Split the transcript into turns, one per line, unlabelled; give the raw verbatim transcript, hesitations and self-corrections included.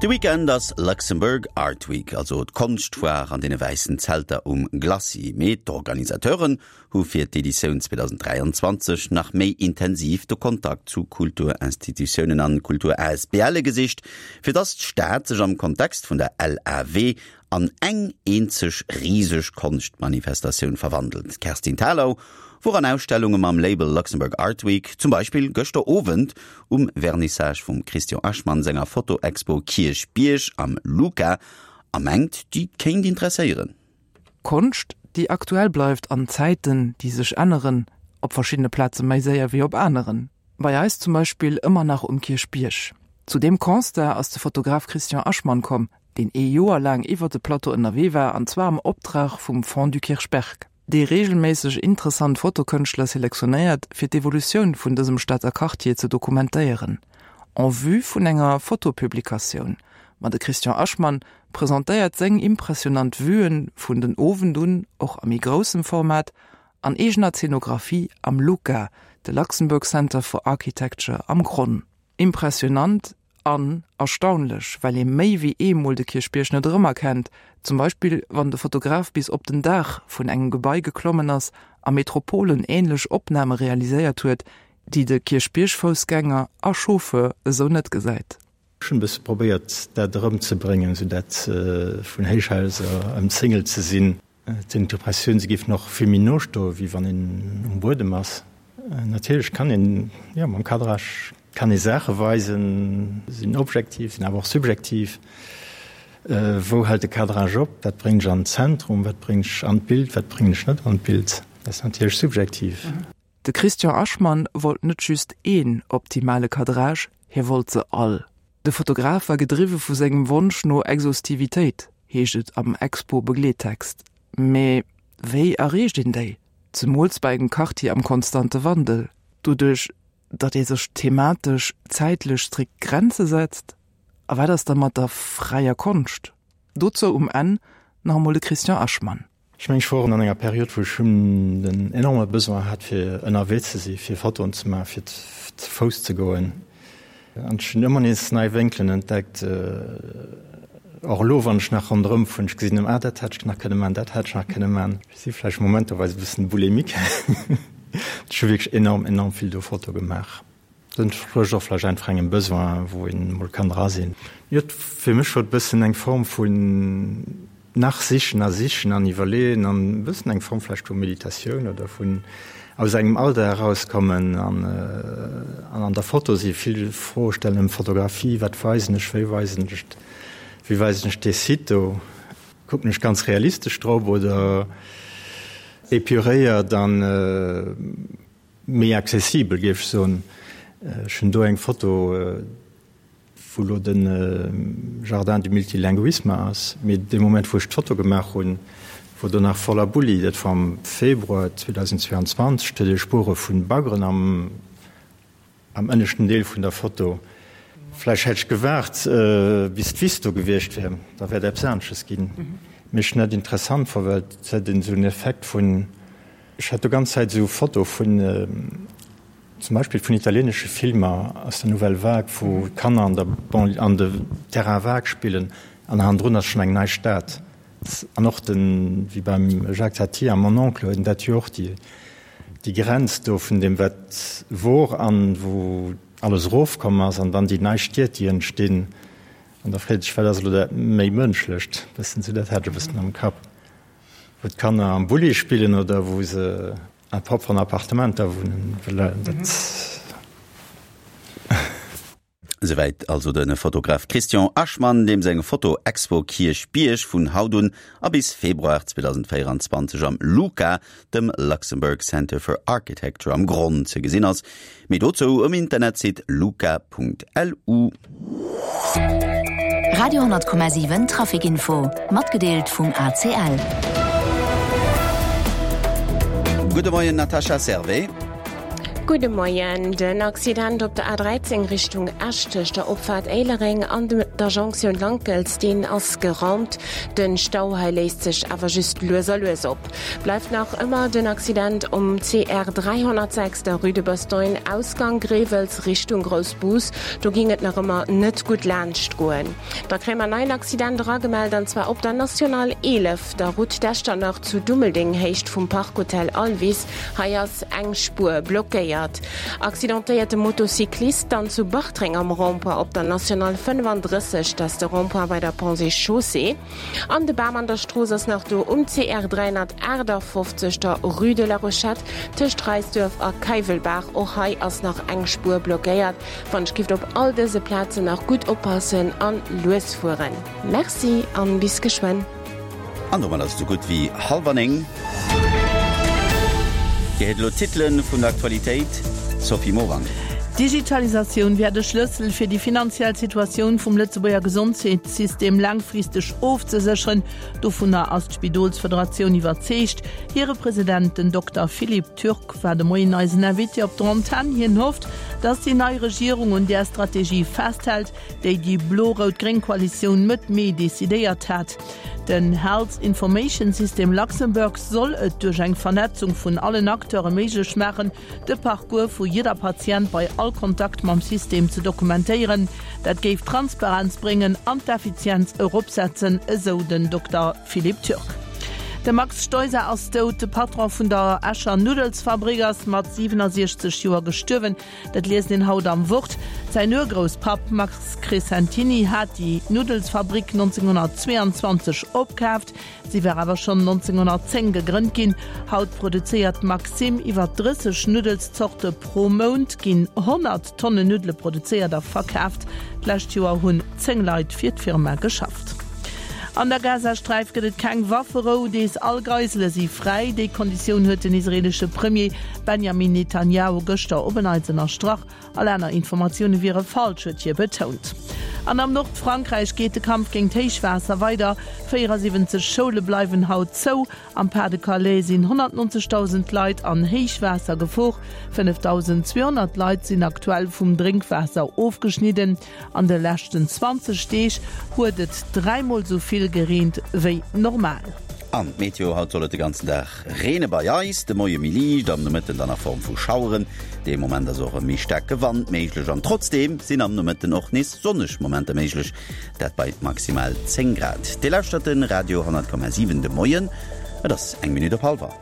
De Weekend ass Luxembourg Art Week, also d'Konschtfoire an deene wäissen Zelter um Glacis. Mee d'Organisateuren hu fir d'Editioun zweedausenddräianzwanzeg nach méi intensiv de Kontakt zu Kulturinstitutiounen an Kultur-A S B L e gesicht, fir dass d'Stad sech am Kontext vun der L A W an eng eenzeg riseg Konschtmanifestatioun verwandelt. D'Kerstin Thalau wor an Ausstellunge mam Label Luxembourg Art Week, zum Beispill gëschter Owend um Vernissage vum Christian Aschmann senger Fotoexpo Kierchbierg am LUCA, a mengt, déi kéint interesséieren.
Konscht, déi aktuell bleift an Zäiten, déi sech änneren, op verschiddene Plaze méi séier wéi op aneren. Bei eis zum Beispill ëmmer nach um Kierchbierg. Zu deem Constat ass de Fotograf Christian Aschmann komm, deen ee Joer laang iwwer de Plateau ënnerwee war, an zwar am Optrag vum Fonds du Kirchberg, dee reegelméisseg interessant Fotokënschtler selektionéiert, fir d'Evolutioun vun dësem Stater Quartier ze dokumentéieren, en vue vun enger Fotopublikatioun. Ma de Christian Aschmann presentéiert seng impressionant Vuen vun den Owend un och a méi groussem Format an eegener Zeenografie am LUCA, de Luxembourg Center for Architecture am Gronn. Impressionant an erstaunlech, well ee méi wéi eemol de Kierchbierg net erëmerkennt, zum Beispill wann de Fotograf bis op den Daach vun engem Gebai geklommen ass a Metropolen änlech Opname realiséiert huet, déi de Kierchbierg-Foussgänger a Chauffeur esou net gesäit.
Ech hunn e bësse probéiert dat erëmzebréngen, sou dat vun Héichhaiser ëmzéngelt ze sinn. Et hunn d'Impressioun, se géifen och vill méi no stoen, wéi wann een um Buedem ass. Natierlech kann een, jo, mam Cadrage kann ee Saache weisen, sinn objektiv, sinn awer och subjektiv. Wou hält de Cadrage op? Wat bréngen ech an den Zentrum? Wat bréngen ech an d'Bild? Wat bréngen ech net an d'Bild? Dat ass natierlech subjektiv.
De Christian Aschmann wollt net just een optimale Cadrage, hie wollt se all. De Fotograf war gedriwwe vu sengem Wonsch no Exhaustivitéit, heescht et am Expo-Begleettext. Mee wéi erreecht een déi? Zemools bei engem Quartier am konstante Wandel, doduerch datt ee sech thematesch, zäitlech strikt Grenze setzt? A wat ass da mat der fräier Konscht? Dozou um Enn nach emol de Christian Aschmann.
Ech mengen, ech wor an enger Period, wou ech hunn den enorme Besoin hat, fir ënnerwee ze si, fir Fotoen ze maachen, fir ze Fouss ze goen. An ech hunn ëmmer nees nei Wénkelen entdeckt. Och elo, wann ech nach ronderëm fueren, ech gesinn, ah, dat hätt ech nach kënne maachen, dat hätt ech nach kënne maachen. Ech si vläicht momentoweis e bëssen bulimique. Ech hu wierklech enorm, enorm vill do Fotoe gemaach. Dat entsprécht och vläicht einfach engem Besoin, wou een emol kann dra sinn. Jo, fir mech wor et e bëssen eng Form vun nach sichen a sichen an iwwerleeën an e bëssen eng Form vläicht vu Meditatioun oder vun aus engem Alldag erauskommen an an an der Foto si vill Froe stellen ëm Fotografie, wat weisen ech, wéi weisen ech, wéi weisen ech dee Site do, kucken ech ganz realistesch drop oder Epuréiert an méi accessibel, géif ech soen. Ech hunn do eng Foto, wou elo de Jardin du multilinguisme ass, mee dee Moment, wou ech d'Foto gemaach hunn, wor do nach voller Bulli. Dat war am Februar zweedausendzweeanzwanzeg. Do huet ee Spuere vu Baggeren am. Am ënneschten Deel vun der Foto. Vläicht hätt ech gewaart bis d'Wiss do gewiescht wär, da wär et eppes anesches ginn. Mee ech hunn dat interessant fonnt, well et huet een esou en Effekt vun, ech hat do ganz Zäit esou Foto vun zum Beispill vun italienesche Filmer aus der Nouvelle Vague, wou d'Kanner an der Banlieue, an de Terrain vague spillen an hannendrun ass schonn eng nei Stad. An och den, wéi beim Jacques Tati a Mon oncle huet en dat jo och, déi déi Grenz do vun deem wat wor an wou alles erofkomm ass an dann déi nei Stied déi entstinn. An da freet ee sech, wat ass elo dat méi Mënschlecht? Bëssen esou, dat hat ech e bëssen am Kapp, wou d'Kanner am Bulli spillen oder wou se a propperen Appartementer wunnen. Dat.
Souwäit also de Fotograf Christian Aschmann, deem seng Foto-Expo Kierchbierg vun haut un a bis Februar zweedausendvéieranzwanzeg am LUCA, dem Luxembourg Center for Architecture am Gronn ze gesinn ass. Méi dozou um Internetsite luca.lu.
Radio hundert Komma siwen Traficinfo, matgedeelt vum A C L.
Gudde Moien Natascha Servais.
Gudde Moien. Den Accident op der A dräizéng Richtung Esch tëscht der Opfaart Éilereng an der Jonktioun Lankels, deen ass geraumt. Den Stau hei léist sech awer just lues a lues op. Bleift nach ëmmer den Accident um C R dräihonnertsechs, der Rue de Bastogne, Ausgang Grevels Richtung Groussbus. Do ging et nach ëmmer net gutt laanscht goen. Da kréie mer neien Accident eragemellt, an zwar op der National eelef, der Route d'Echternach zu Dummeldeng, Héicht vum Park Hotel Alvis. Hei ass eng Spuer blockéiert. Accidentéierte Motocyclist dann zu Bartreng am Rond-point op der National fënnefandrësseg, dat ass de Rond-point bei der Ponts et Chaussées. An de Bam an der Strooss ass nach do um C R dräihonnertaachtafoffzeg, der Rue de la Rochette tëscht Reisduerf a Keiwelbaach. Och hei ass nach eng Spuer blockéiert. Wann ech gift op all dëse Plazen nach gutt oppassen an lues fueren. Merci an bis geschwënn.
An domat ass et esou gutt wéi hallwer néng. Dir héiert elo d'Titele vun der Aktualitéit, Sophie Morang.
D'Digitalisatioun wär de Schlëssel fir déi finanziell Situatioun vum Lëtzebuerger Gesondheetssystem laangfristeg ofzesécheren. Dovunner ass d'Spidolsfederatioun iwwerzeegt. Hire President, den Dokter Philippe Türk, war de Moien eisen Invité op der Antenn. Hien hofft, datt déi nei Regierung un där Strategie festhält, déi déi blo-rout-gréng Koalitioun Mëtt Mee decidéiert hat. Den Health Information System Luxembourg soll et duerch eng Vernetzung vun allen Acteure méiglech maachen, de Parcours vu jidder Patient bei all Kontakt mam System ze dokumentéieren. Dat géif Transparenz bréngen an d'Effizienz eropsetzen, esou den Dokter Philippe Türk. De Max Stoiser ass dout. De Patron vun der Escher Nuddelsfabrik ass mat siwenasiechzeg Joer gestuerwen. Dat liest een haut am Wort. Säin Urgrousspapp Max Crescentini hat déi Nuddelsfabrik nonzénghonnertzweeanzwanzeg opkaaft. Si war awer schonn nonzénghonnertzéng gegrënnt ginn. Haut produzéiert d'Maxim iwwer drësseg Nuddelszorte. Pro Mount ginn honnert Tonnen Nuddele produzéiert a verkaaft. D'lescht Joer hunn zéng Leit fir d'Firma geschafft. An der Gazasträif gëtt et keng Wafferou, dees all Geisele si fräi. Déi Konditioun huet den israeelesche Premier Benjamin Netanjahu gëschter op en Neits ënnerstrach. All aner Informatioune wiere falsch, huet hie betount. An am Nordfrankräich geet de Kampf géint d'Héichwaasser weider. véierasiwwenzeg Schoule bleiwen haut zou. Am Pas-de-Calais sinn honnertnonzegdausend Leit an Héichwaassergefor. fënnefdausendzweehonnert Leit sinn aktuell vum Drénkwaasser ofgeschnidden. An de leschten zwanzeg Deeg huet et dräimol sou vill gereent wéi normal.
An d'Meteo, Haut soll et de ganzen Dag reene bei eis, de Moie méi liicht, am Nomëtten dann a Form vu Schaueren. Dee Moment ass och e méi staarke Wand méiglech an trotzdeem sinn am Nomëtten och nees sonneg Momenter méiglech, dat bei maximal zéng Grad. Dir lauschtert de Radio honnert Komma siwen de Moien, et ass eng Minutt op hallwer.